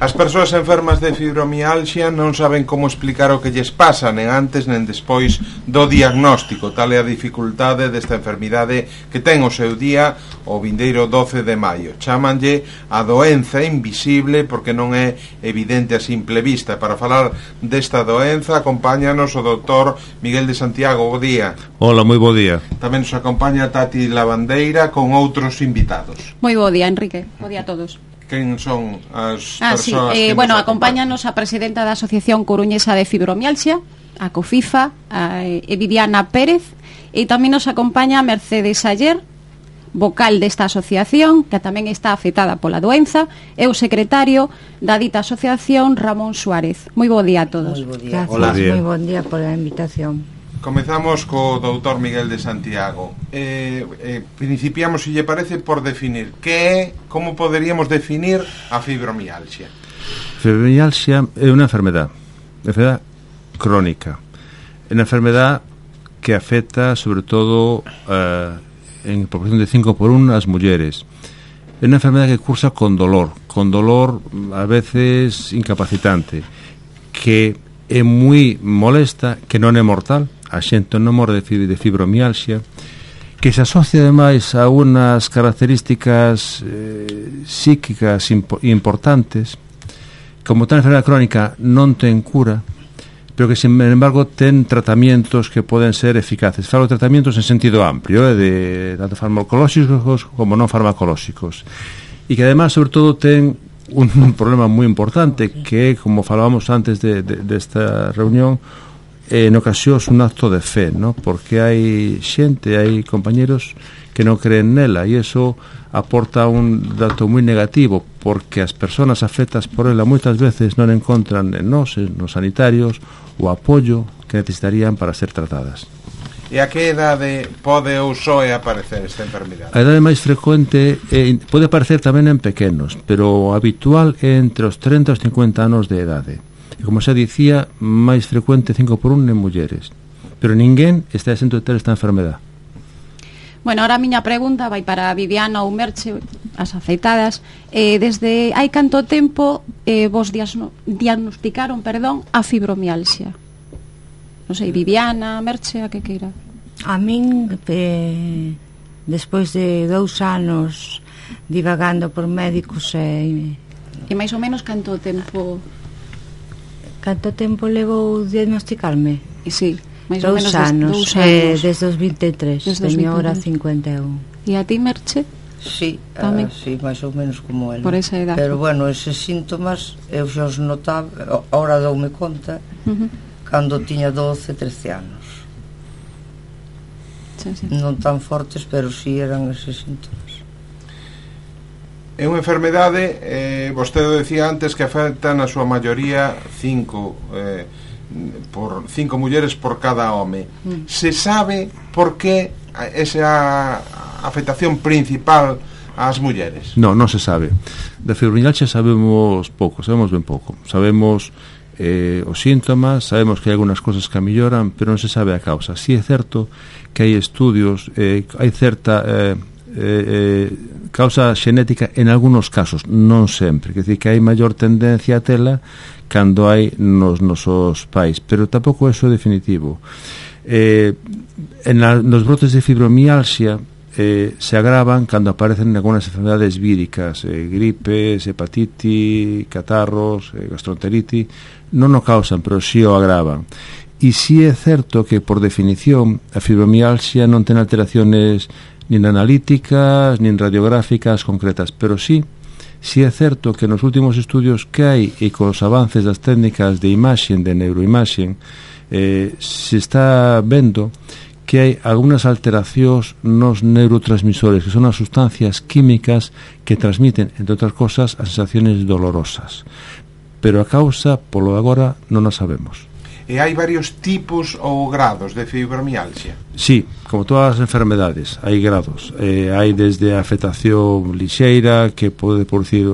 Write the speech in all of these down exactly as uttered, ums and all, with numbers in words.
As persoas enfermas de fibromialxia non saben como explicar o que lles pasa, nen antes nen despois do diagnóstico. Tal é a dificultade desta enfermidade que ten o seu día o vindeiro doce de maio. Chámanlle a doenza invisible porque non é evidente a simple vista. Para falar desta doenza acompáñanos o doutor Miguel de Santiago. Bo día. Hola, moi bo día. Tamén nos acompaña Tati Lavandeira con outros invitados. Moi bo día, Enrique. Bo día a todos. Quen son as ah, persoas sí. eh, que bueno, nos acompáñanos a presidenta da Asociación Coruñesa de Fibromialxia, a COFIFA, a eh, Viviana Pérez, e tamén nos acompaña Mercedes Ayer, vocal desta asociación, que tamén está afectada pola doenza, e o secretario da dita asociación, Ramón Suárez. Moi bo día a todos. Moi bo día. Gracias, moi bon día por a invitación. Comezamos co doutor Miguel de Santiago. Eh, eh, principiamos, se lle parece, por definir que é, como poderíamos definir a fibromialxia. Fibromialxia é unha enfermedad, enfermedad crónica. É unha enfermedad que afecta sobre todo eh, en proporción de cinco por uno as mulleres. É unha enfermedad que cursa con dolor, con dolor a veces incapacitante, que é moi molesta, que non é mortal. A xente non morre de fibromialxia, que se asocia ademais a unas características eh, psíquicas impo importantes. Como tal enfermedad crónica non ten cura, pero que sin embargo ten tratamientos que poden ser eficaces. Falo de tratamientos en sentido amplio, eh, de tanto farmacolóxicos como non farmacolóxicos, e que ademais sobre todo ten un, un problema moi importante, que é, como falábamos antes de, de, desta reunión, en ocasións un acto de fe, ¿no? Porque hai xente, hai compañeros que non creen nela, e iso aporta un dato moi negativo, porque as persoas afectas por ela moitas veces non encontran en nós, nos sanitarios, o apoio que necesitarían para ser tratadas. E a que idade pode ou soe aparecer esta enfermidade? A idade máis frecuente eh, pode aparecer tamén en pequenos, pero o habitual é entre os treinta e os cincuenta anos de idade. E como xa dicía, máis frecuente cinco por uno en mulleres, pero ninguén está exento de ter esta enfermedad. Bueno, ahora a miña pregunta vai para Viviana ou Merche, as afeitadas. Eh, desde hai canto tempo eh, vos diagnosticaron, perdón, a fibromialxia? Non sei, Viviana, Merche, a que queira. A min, eh, despois de dous anos divagando por médicos e... E máis ou menos canto tempo... Canto tempo levou diagnosticarme? E sí, máis dous ou menos anos, dous anos. Eh, desde os vinte e tres, teño ahora cincuenta e un. E a ti, Merche? Sí, uh, sí, máis ou menos como ela. Por esa edad. Pero bueno, eses síntomas eu xa os notaba, ahora doume conta, uh-huh. cando tiña doce, trece anos. Sí, sí. Non tan fortes, pero sí eran eses síntomas. É unha enfermedade, eh, vostede decía antes, que afecta na súa maioría cinco, eh, por cinco mulleres por cada home. Mm. Se sabe por que esa afectación principal ás mulleres? Non, non se sabe. Da fibromialxia sabemos pouco, sabemos ben pouco. Sabemos eh, os síntomas, sabemos que hai algunas cosas que melloran, pero non se sabe a causa. Si é certo que hai estudios, eh, hai certa... Eh, Eh, eh, causa xenética en algunos casos, non sempre, quer dizer que hai maior tendencia a tela cando hai nos nosos pais, pero tampouco é definitivo. Eh, en la, nos brotes de fibromialxia eh, se agravan cando aparecen algunas enfermedades víricas, eh, gripes, hepatitis, catarros, eh, gastroenteritis, non o causan, pero si o agravan. E si é certo que por definición a fibromialxia non ten alteraciones nin analíticas, nin radiográficas concretas, pero sí, sí é certo que nos últimos estudios que hai e cos avances das técnicas de imaxen, de neuroimaxen, eh, se está vendo que hai algunhas alteracións nos neurotransmisores, que son as sustancias químicas que transmiten, entre outras cosas, as sensaciones dolorosas. Pero a causa, polo agora, non a sabemos. E hai varios tipos ou grados de fibromialxia? Sí, como todas as enfermedades, hai grados. Eh, hai desde a afectación lixeira, que pode producir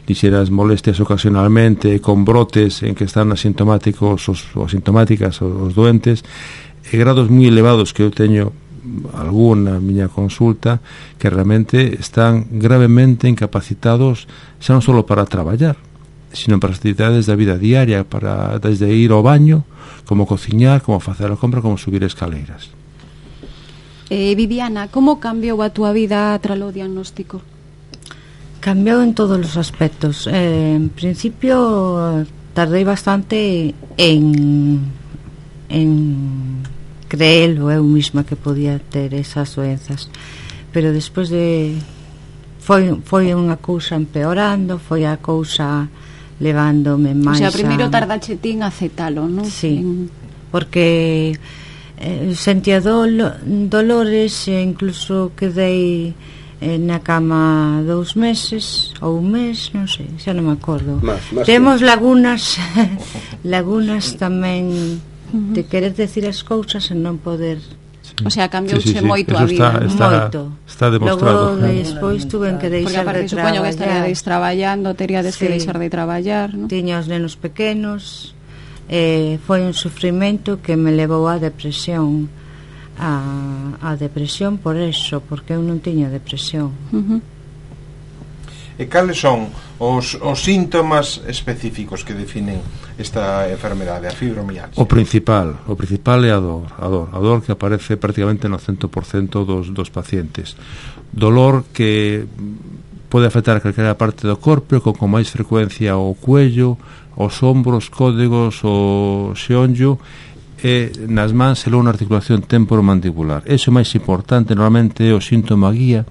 lixeiras molestias ocasionalmente, con brotes en que están asintomáticos os, ou asintomáticas os, os doentes, e grados moi elevados que eu teño alguna miña consulta, que realmente están gravemente incapacitados xa non só para traballar, sino para as actividades da vida diaria, para desde ir ao baño, como cociñar, como facer a compra, como subir escaleiras. Eh, Viviana, como cambiou a túa vida tras o diagnóstico? Cambiou en todos os aspectos. Eh, en principio tardei bastante en en creelo eu misma que podía ter esas doenzas, pero despois de foi, foi unha cousa empeorando, foi a cousa levándome máis. O sea, primeiro a... tardache tin a aceptalo, non? Sí, en... porque eh, sentía dolo, dolores e incluso quedei eh, na cama dous meses ou un mes, non sei, xa non me acordo. Más, más Temos que... lagunas lagunas tamén uh-huh. de querer decir as cousas e non poder. O sea, cambiouche sí, sí, sí. moito Eso a vida, está, está, moito. Está demostrado. Logo despois tuve que porque deixar aparte de supoño que traballar. estaríades traballando, teríades que Sí. deixar de traballar, non? Tiña os nenos pequenos, eh, foi un sufrimento que me levou á depresión, a, a depresión por eso, porque eu non tiña depresión. Uh-huh. E cales son os, os síntomas específicos que definen esta enfermedade, a fibromialgia? O principal, o principal é a dor, a dor, a dor que aparece prácticamente no cento por cento dos, dos pacientes. Dolor que pode afectar a calquera parte do corpo, con, con máis frecuencia o cuello, os ombros, códigos, o xeonllo, e nas mans e logo na articulación temporomandibular. Eso é máis importante, normalmente é o síntoma guía,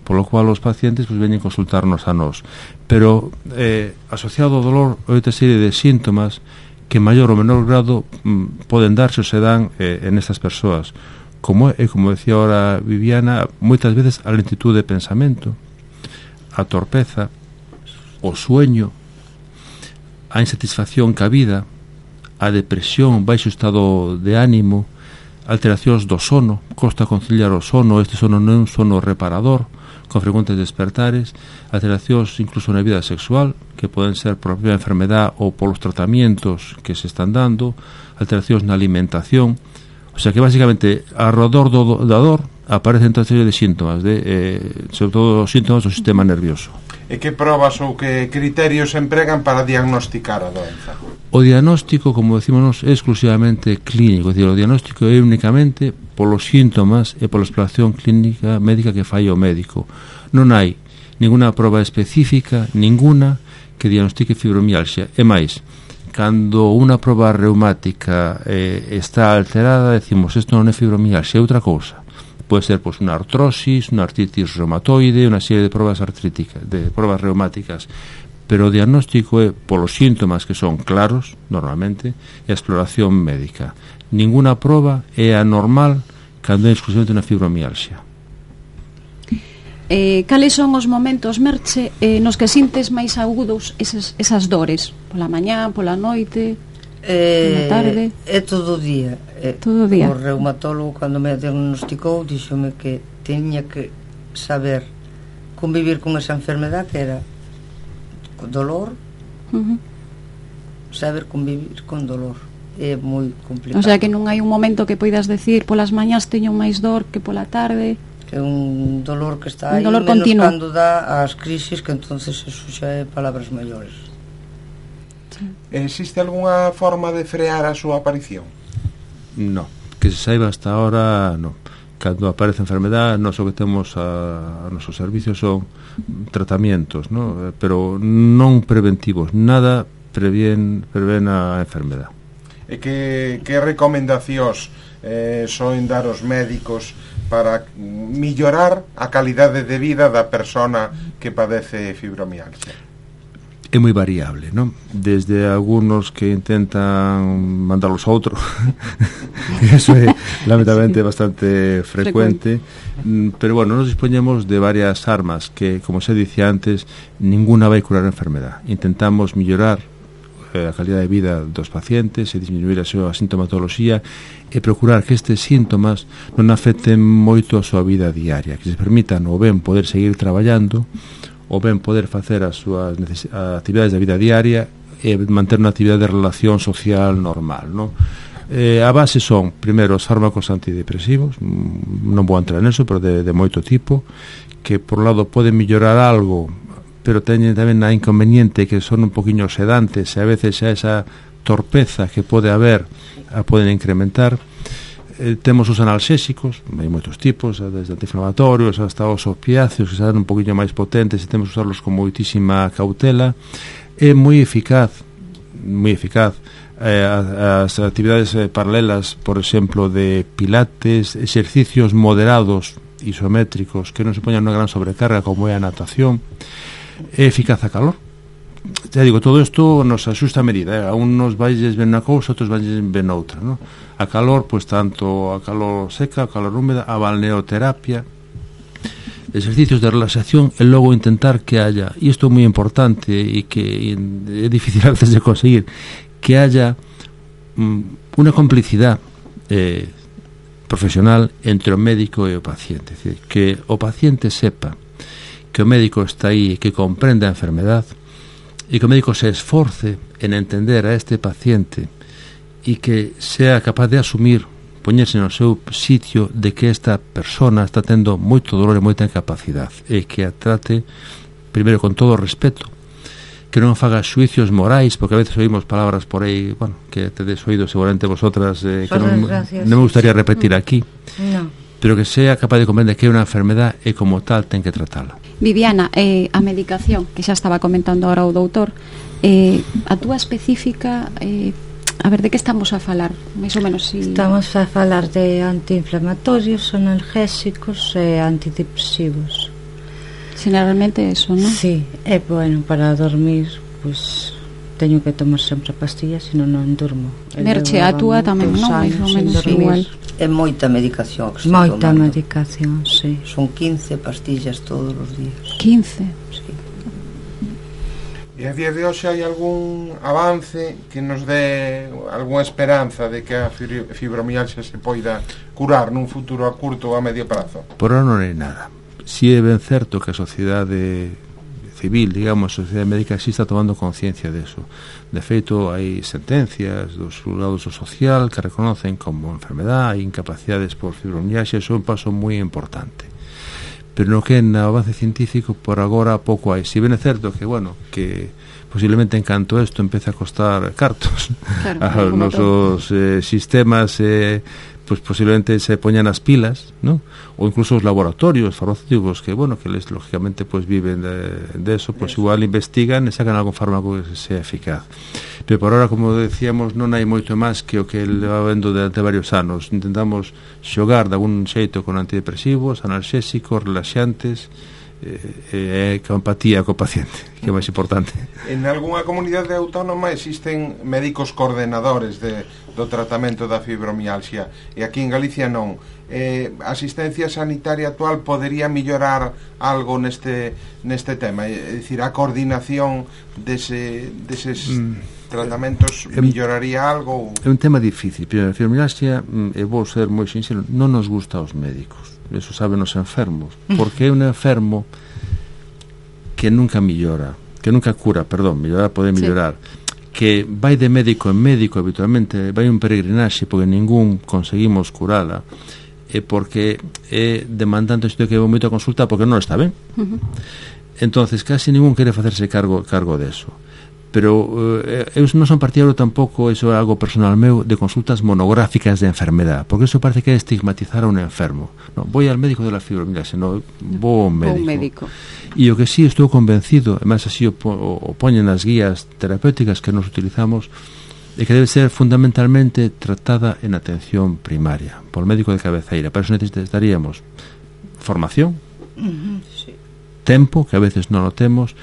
polo cual os pacientes pues, veñen consultarnos a nós. Pero eh, asociado ao dolor hai outra serie de síntomas que en maior ou menor grado mm, poden darse ou se dan eh, en estas persoas, como é, como decía ahora Viviana, moitas veces a lentitud de pensamento, a torpeza, o sueño, a insatisfacción ca vida, a depresión, baixo estado de ánimo, alteracións do sono, costa conciliar o sono, este sono non é un sono reparador, con frecuentes despertares, alteracións incluso na vida sexual, que poden ser por a propia enfermedad ou polos tratamientos que se están dando, alteracións na alimentación, o sea que basicamente alrededor do, da dor aparecen toda serie de síntomas, de, eh, sobre todo os síntomas do sistema nervioso. E que probas ou que criterios se empregan para diagnosticar a doenza? O diagnóstico, como decimos, é exclusivamente clínico, é dicir, o diagnóstico é únicamente polos síntomas e pola exploración clínica médica que fai o médico. Non hai ninguna proba específica, ninguna, que diagnostique fibromialgia. E máis, cando unha proba reumática eh, está alterada, decimos, isto non é fibromialgia, é outra cousa. Pode ser pois, unha artrosis, unha artritis reumatoide, unha serie de probas artríticas, de probas reumáticas. Pero o diagnóstico é polos síntomas que son claros, normalmente, e a exploración médica. Ninguna proba é anormal cando é exclusivamente unha fibromialgia. Eh, cales son os momentos, Merche, eh, nos que sintes máis agudos esas, esas dores? Pola mañá, pola noite, Eh, pola tarde? é todo o día. Eh, Todo o día. O reumatólogo, cando me diagnosticou, díxome que teña que saber convivir con esa enfermedad, que era dolor, Uh-huh. saber convivir con dolor. É moi complicado. O sea que non hai un momento que poidas decir polas mañás teño máis dor que pola tarde. É un dolor que está Un aí, dolor menos continuo. cando dá as crisis, que entonces eso xa é palabras maiores. Existe algunha forma de frear a súa aparición? No, que se saiba hasta ahora, no. Cando aparece enfermedad, nós o que temos a, a nosos servicios son tratamientos, no? Pero non preventivos, nada prevén, prevén a enfermedad. E que, que recomendacións eh, soen dar os médicos para millorar a calidade de vida da persona que padece fibromialgia? É moi variable, non? Desde algunos que intentan mandarlos a outro eso é lamentablemente bastante frecuente, frecuente. Pero bueno, nos dispoñemos de varias armas que, como se dicía antes, ninguna vai curar a enfermedad. Intentamos millorar eh, a calidad de vida dos pacientes e disminuir a súa sintomatoloxía e procurar que estes síntomas non afecten moito a súa vida diaria, que se permitan ou ben poder seguir traballando ou ben poder facer as súas actividades da vida diaria e manter unha actividade de relación social normal, non? Eh, a base son, primeiro, os fármacos antidepresivos, non vou entrar neso, pero de, de moito tipo, que por un lado poden mellorar algo, pero teñen tamén a inconveniente que son un poquinho sedantes e a veces xa esa torpeza que pode haber a poden incrementar. Eh, temos os analxésicos, hai moitos tipos, desde antiinflamatorios hasta os opiáceos que se dan un poquinho máis potentes e temos que usarlos con moitísima cautela. É moi eficaz moi eficaz eh, as actividades eh, paralelas, por exemplo, de pilates, exercicios moderados isométricos que non se poñan unha gran sobrecarga como é a natación. É eficaz a calor. Ya digo, todo isto nos axusta a medida, eh? A uns valles ben na cousa, outros valles ben noutra, ¿no? A calor, pois tanto a calor seca, a calor húmeda, a balneoterapia, exercicios de relaxación e logo intentar que haya, e isto é moi importante e que é difícil a veces de conseguir, que haya mm, unha complicidade eh, profesional entre o médico e o paciente, é dicir, que o paciente sepa que o médico está aí e que comprende a enfermedade e que o médico se esforce en entender a este paciente e que sea capaz de asumir, poñerse no seu sitio de que esta persona está tendo moito dolor e moita incapacidade e que a trate primeiro con todo o respeto, que non faga xuicios morais, porque a veces oímos palabras por aí, bueno, que tedes oído seguramente vosotras, eh, que non, non me gustaría repetir aquí, no. Pero que sea capaz de comprender que é unha enfermedade e como tal ten que tratarla. Viviana, eh, a medicación, que xa estaba comentando ahora o doutor, eh, a túa específica, eh, a ver, de que estamos a falar? Mais ou menos si... Estamos a falar de antiinflamatorios, analgésicos e antidepresivos. Generalmente eso, non? Sí, é bueno para dormir, pois teño que tomar sempre pastillas, senón non durmo. Merche, a túa tamén, non? Mais ou menos igual. É moita medicación que está moita tomando. medicación, sí. Son quince pastillas todos os días. quince? Sí. E a día de hoxe hai algún avance que nos dé algunha esperanza de que a fibromialgia se poida curar nun futuro a curto ou a medio prazo? Por ahora non hai nada. Si é ben certo que a sociedade civil, digamos, a sociedade médica sí está tomando conciencia deso. De feito, hai sentencias dos xulgados do social que reconocen como enfermedade e incapacidades por fibromialgia. Iso é un paso moi importante. Pero no que na avance científico por agora pouco hai. Si ben é certo que, bueno, que posiblemente en canto isto empeza a costar cartos, claro, aos nosos eh, sistemas eh, pues posiblemente se poñan as pilas, ¿no? Ou incluso os laboratorios farmacéuticos que, bueno, que les lógicamente pues viven de, de eso, pues igual investigan e sacan algún fármaco que sea eficaz. Pero por ahora, como decíamos, non hai moito máis que o que leva vendo durante varios anos. Intentamos xogar de algún xeito con antidepresivos, analxésicos, relaxantes, e eh, con empatía co paciente, que é máis importante. En algunha comunidade autónoma existen médicos coordenadores de, do tratamento da fibromialgia e aquí en Galicia non. Eh, a asistencia sanitaria actual podería mellorar algo neste neste tema, é dicir, a coordinación dese, deses mm. tratamentos melloraría algo? Ou... É un tema difícil. Primeiro, a fibromialgia, e vou ser moi sincero, non nos gusta aos médicos. Eso saben os enfermos, porque é un enfermo que nunca millora, que nunca cura, perdón, mellorar pode mellorar, sí. Que vai de médico en médico habitualmente, vai un peregrinaxe porque ningún conseguimos curala, e porque é demandante isto que é moito a consulta porque non está ben. Uh-huh. Entonces casi ningún quere facerse cargo cargo deso. Pero eh, eu non son partidario tampouco, iso é algo personal meu, de consultas monográficas de enfermedade, porque eso parece que é estigmatizar a un enfermo. No, voy al médico de la fibromialgia, no, vou ao médico. médico. E o que sí estou convencido, además así o, o, o poñen nas guías terapéuticas que nos utilizamos, é que debe ser fundamentalmente tratada en atención primaria, por médico de cabeceira. Para eso necesitaríamos formación, uh-huh, sí. Tempo, que a veces non o temos,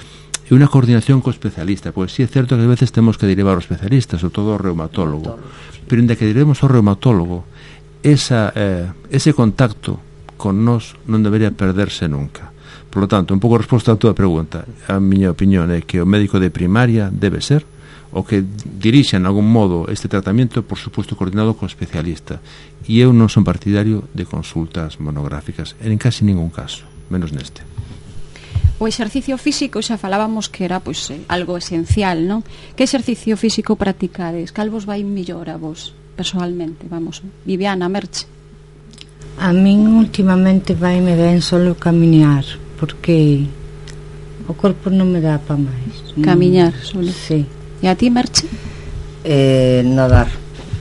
e unha coordinación co especialista, porque si sí é certo que a veces temos que derivar ao especialista, sobre todo ao reumatólogo, pero inda que diremos ao reumatólogo, esa, eh, ese contacto con nós non debería perderse nunca. Por lo tanto, un pouco resposta a túa pregunta, a miña opinión é que o médico de primaria debe ser o que dirixa en algún modo este tratamento, por suposto coordinado co especialista, e eu non son partidario de consultas monográficas en casi ningún caso, menos neste. O exercicio físico xa falábamos que era pois eh, algo esencial, non? Que exercicio físico practicades? Cal vos vai mellor a vos personalmente? Vamos, Viviana, Merche. A min últimamente vai me ben solo camiñar, porque O corpo non me dá pa máis. Camiñar, solo. Sí. E a ti, Merche? Eh, nadar.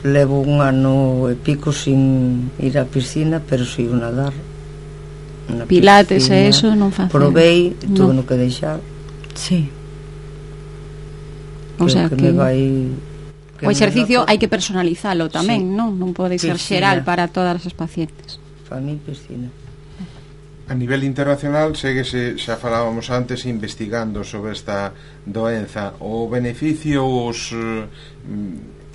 Levo un ano e pico sin ir á piscina, pero sigo nadar. Na Pilates piscina. e eso non facen. Provei, tuve No. no que deixar. Sí. O sea que, que me vai que o exercicio me noto- hai que personalizalo tamén, Sí. non? Non pode ser Piscina. xeral para todas as pacientes. Para mí piscina. A nivel internacional, séguese, xa falábamos antes, investigando sobre esta doenza. O beneficio, os eh,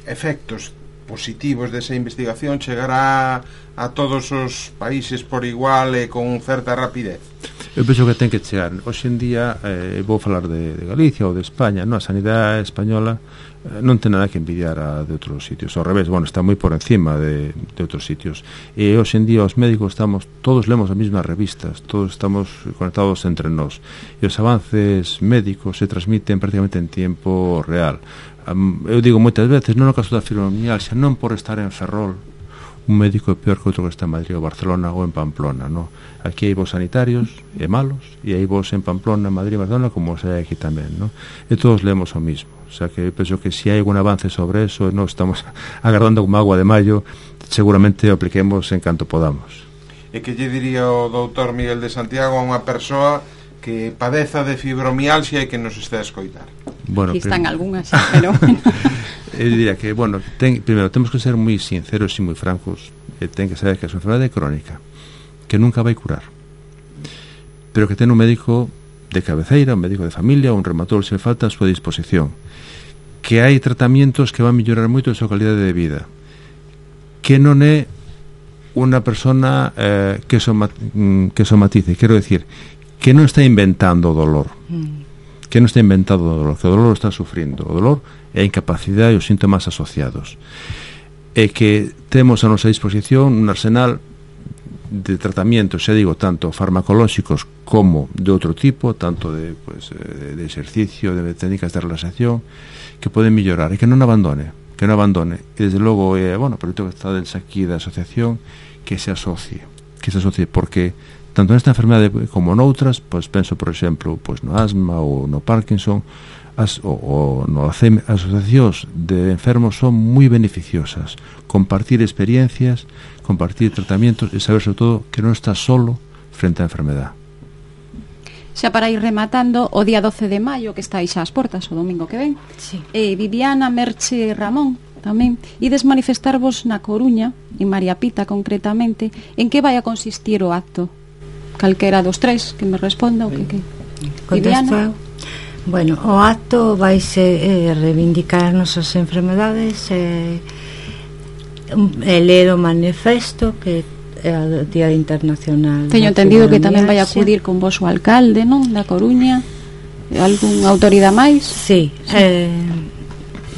efectos positivos desa investigación chegará a todos os países por igual e con certa rapidez? Eu penso que ten que chegar. Hoxe en día, eh, vou falar de, de Galicia ou de España, non? A sanidade española eh, non ten nada que envidiar a de outros sitios. Ao revés, bueno, está moi por encima de, de outros sitios. E hoxe en día os médicos estamos, todos lemos as mesmas revistas, todos estamos conectados entre nós. E os avances médicos se transmiten prácticamente en tiempo real. Um, eu digo moitas veces, non no caso da fibromialgia, non por estar en Ferrol, un médico é peor que outro que está en Madrid ou Barcelona ou en Pamplona, no? Aquí hai vos sanitarios e malos, e hai vos en Pamplona, Madrid e Barcelona, como os hai aquí tamén, no? E todos lemos o mismo. O sea que eu penso que se si hai algún avance sobre eso, non estamos agardando como agua de maio, seguramente o apliquemos en canto podamos. E que lle diría o doutor Miguel de Santiago a unha persoa que padeza de fibromialgia e que nos está a escoitar? Bueno, Aquí están prim- algunhas, pero bueno. Eu diría que, bueno, ten, primeiro, temos que ser moi sinceros e moi francos, e ten que saber que é unha enfermedade crónica que nunca vai curar, pero que ten un médico de cabeceira, un médico de familia, un reumatólogo se falta a súa disposición, que hai tratamientos que van mellorar moito a súa calidade de vida, que non é unha persona eh, que, soma, que somatice, quero decir, que non está inventando o dolor, que non está inventado o dolor, que o dolor o está sufrindo. O dolor é a incapacidade e os síntomas asociados. E que temos a nosa disposición un arsenal de tratamientos, xa digo, tanto farmacolóxicos como de outro tipo, tanto de, pues, de, de exercicio, de técnicas de relaxación, que poden mellorar e que non abandone, que non abandone. E desde logo, eh, bueno, pero que está des aquí da asociación, que se asocie, que se asocie, porque tanto nesta enfermedade como noutras, pois penso, por exemplo, pois no asma ou no Parkinson, as, o, o no Alzheimer, as asociacións de enfermos son moi beneficiosas. Compartir experiencias, compartir tratamientos e saber, sobre todo, que non estás solo frente á enfermedade. Xa para ir rematando, o día doce de maio, que está aí xa ás portas, o domingo que ven, Sí. eh, Viviana, Merche e Ramón tamén ides manifestarvos na Coruña, en María Pita concretamente. En que vai a consistir o acto? Calquera dos tres que me responda o que que. Contesto Viviana? eu. Bueno, o acto vaise eh, reivindicar as nosas enfermedades e eh, ler o manifesto que é o Día Internacional. Teño da entendido que tamén vai a Fibromialgia. acudir con vos o alcalde, non? Da Coruña. Algún autoridade máis? Sí, sí. Eh,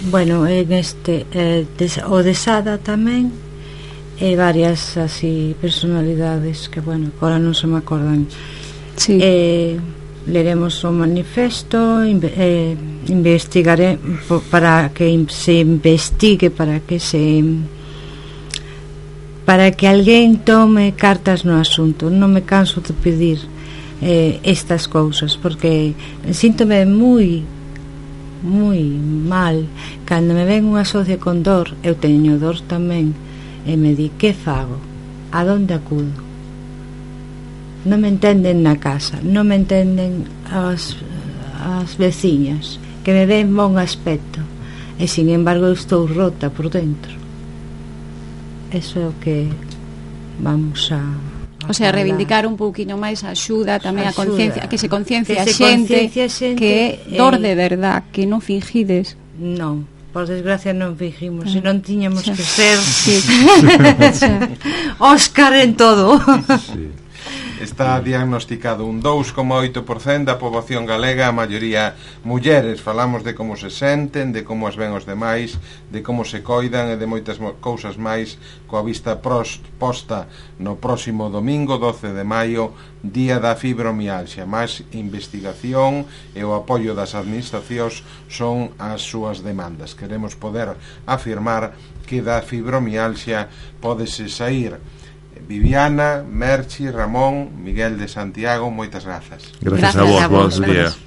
bueno, en este eh, des, o de Sada tamén e varias así personalidades que, bueno, agora non se me acordan. Sí. Eh, leremos o manifesto, inve, eh, investigaré po- para que in- se investigue, para que se para que alguén tome cartas no asunto. Non me canso de pedir eh, estas cousas, porque síntome moi moi mal cando me ven unha socia con dor. Eu teño dor tamén e me di, que fago? A donde acudo? Non me entenden na casa, non me entenden as, as veciñas, que me ven bon aspecto, e sin embargo eu estou rota por dentro. Eso é o que vamos a, a O sea, falar. reivindicar un pouquiño máis a axuda, tamén a Axuda. conciencia, que se conciencia a Que se xente, conciencia a xente, que é dor eh, de verdad, que non fingides. Non, por desgracia non fijimos, Ah, se non tiñamos xa. que ser Sí. Xa. Óscar en todo. Sí. Está diagnosticado un dous coma oito por cento da poboación galega, a maioría mulleres. Falamos de como se senten, de como as ven os demais, de como se coidan e de moitas mo- cousas máis, coa vista pros, posta no próximo domingo doce de maio, Día da Fibromialgia. Máis investigación e o apoio das administracións son as súas demandas. Queremos poder afirmar que da fibromialgia pódese sair Viviana, Merchi, Ramón, Miguel de Santiago, moitas grazas. Gracias, Gracias a vos, a vos, bons días. gracias.